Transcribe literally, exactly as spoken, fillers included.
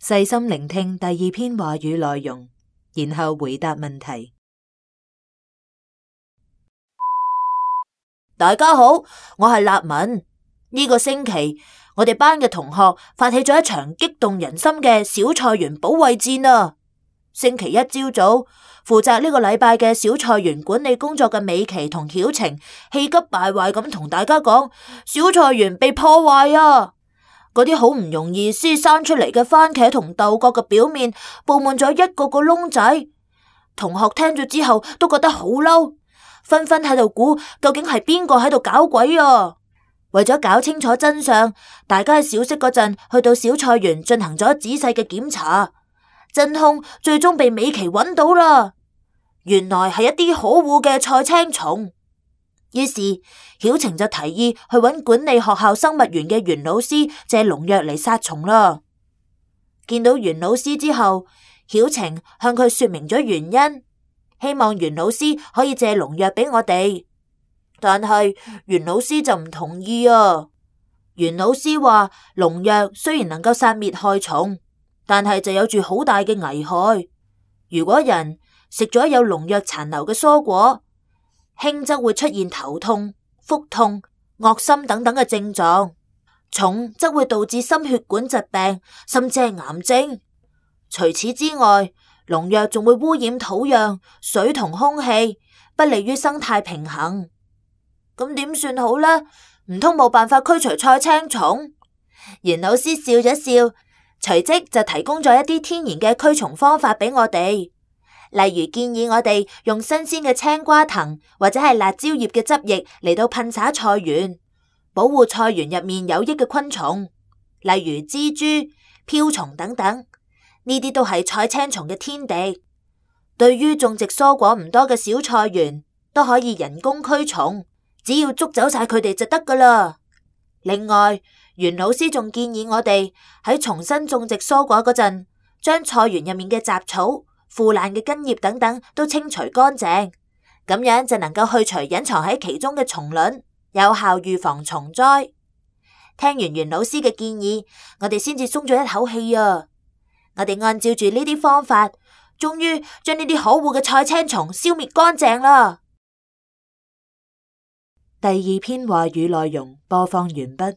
細心聆聽第二篇話語內容，然後回答問題。大家好，我係立文。呢個星期，我哋班嘅同學發起咗一場激動人心嘅小菜園保衛戰啊！星期一朝早，負責呢個禮拜嘅小菜園管理工作嘅美琪同曉晴氣急敗壞咁同大家講：小菜園被破壞啊！嗰啲好唔容易先生出嚟嘅番茄同豆角嘅表面布滿咗一個個窿仔。同學聽咗之後都覺得好嬲，紛紛喺度估究竟係邊個喺度搞鬼啊！為咗搞清楚真相，大家喺小息嗰陣去到小菜園進行咗仔細嘅檢查，真兇最終被美琪揾到啦。原來係一啲可惡嘅菜青蟲。於是曉晴就提議去揾管理學校生物園嘅袁老師借農藥嚟殺蟲啦。見到袁老師之後，曉晴向佢說明咗原因，希望袁老師可以借農藥俾我哋。但係袁老師就唔同意啊。袁老師話農藥雖然能夠殺滅害蟲，但係就有住好大嘅危害。如果人食咗有農藥殘留嘅蔬果，輕則會出現頭痛、腹痛、噁心等等嘅症狀，重則會導致心血管疾病，甚至係癌症。除此之外，農藥仲會污染土壤、水同空氣，不利於生態平衡。咁點算好呢？唔通冇辦法驅除菜青蟲？袁老師笑咗笑，隨即就提供咗一啲天然嘅驅蟲方法俾我哋。例如建議我哋用新鮮嘅青瓜藤或者係辣椒葉嘅汁液嚟到噴灑菜園，保護菜園入面有益嘅昆蟲，例如蜘蛛、瓢蟲等等。呢啲都係菜青蟲嘅天敵。對於種植蔬果唔多嘅小菜園，都可以人工驅蟲，只要捉走晒佢哋就得噶啦。另外，袁老師仲建議我哋喺重新種植蔬果嗰陣，將菜園入面嘅雜草、腐爛嘅根葉等等都清除乾淨，咁樣就能夠去除隱藏喺其中嘅蟲卵，有效預防蟲災。聽完袁老師嘅建議，我哋先至鬆咗一口氣啊！我哋按照住呢啲方法，終於將呢啲可惡嘅菜青蟲消滅乾淨啦。第二篇話語內容播放完畢。